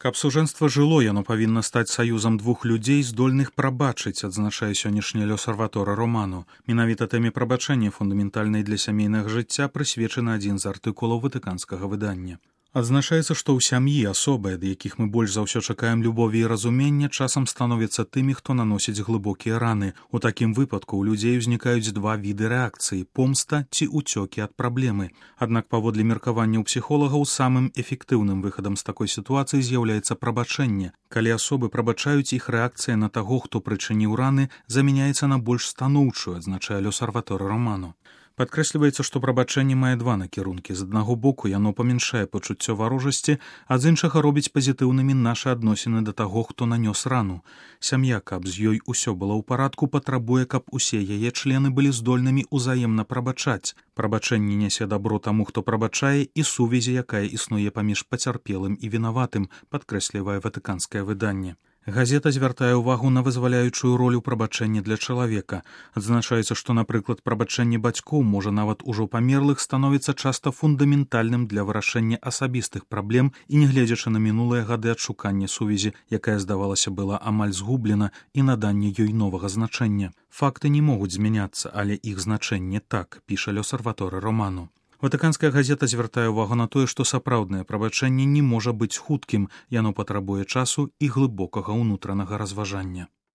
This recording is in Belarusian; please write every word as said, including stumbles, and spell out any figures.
Каб сужэнства жыло, яно павінна стаць саюзам двух людзей, здольных прабачыць, адзначае сённяшні L'Osservatore Romano. Менавіта тэме прабачэння фундаментальнай для сямейнага жыцця прысвечаны адзін з артыкулаў ватыканскага выдання. Адзначаецца, што ў сям'і асобы, ад якіх мы больш за ўсё чакаем любові і разумення, часам становяцца тымі, хто наносіць глыбокія раны. У такім выпадку ў людзей узнікаюць два віды рэакцыі – помста ці ўцёкі ад праблемы. Аднак паводле меркаванняў псіхолагаў самым эфектыўным выхадам з такой сітуацыі з'яўляецца прабачэнне. Калі асобы прабачаюць, іх рэакцыя на таго, хто прычыніў раны, замяняецца на больш станоўчую, адзначае L'Osservatore Romano. Падкрэсліваецца, што прабачэнне мае два накірункі. З аднаго боку, яно памяншае пачуццё варожасці, а з іншага робіць пазітыўнымі нашы адносіны да таго, хто нанёс рану. Сям'я, каб з ёй усё было ў парадку, патрабуе, каб усе яе члены былі здольнымі ўзаемна прабачаць. Прабачэнне нясе дабро таму, хто прабачае, і сувязі, якая існуе паміж пацярпелым і вінаватым, падкрэслівае ватыканскае выданне. Газета звяртае ўвагу на вызваляючую ролю прабачэння для чалавека. Адзначаецца, што, напрыклад, прабачэнне бацькоў, можа нават ужо памерлых, становіцца часта фундаментальным для вырашэння асабістых праблем і, нягледзячы на минулыя гады адшукання сувязі, якая, здавалася, была амаль згублена, і наданне ёй новага значэння. Факты не могуць змяняцца, але іх значэнне так, піша L'Osservatore Romano. Ватыканская газета звяртае ўвагу на тое, што сапраўднае прабачэнне не можа быць хуткім, яно патрабуе часу і глыбокага ўнутранага разважання.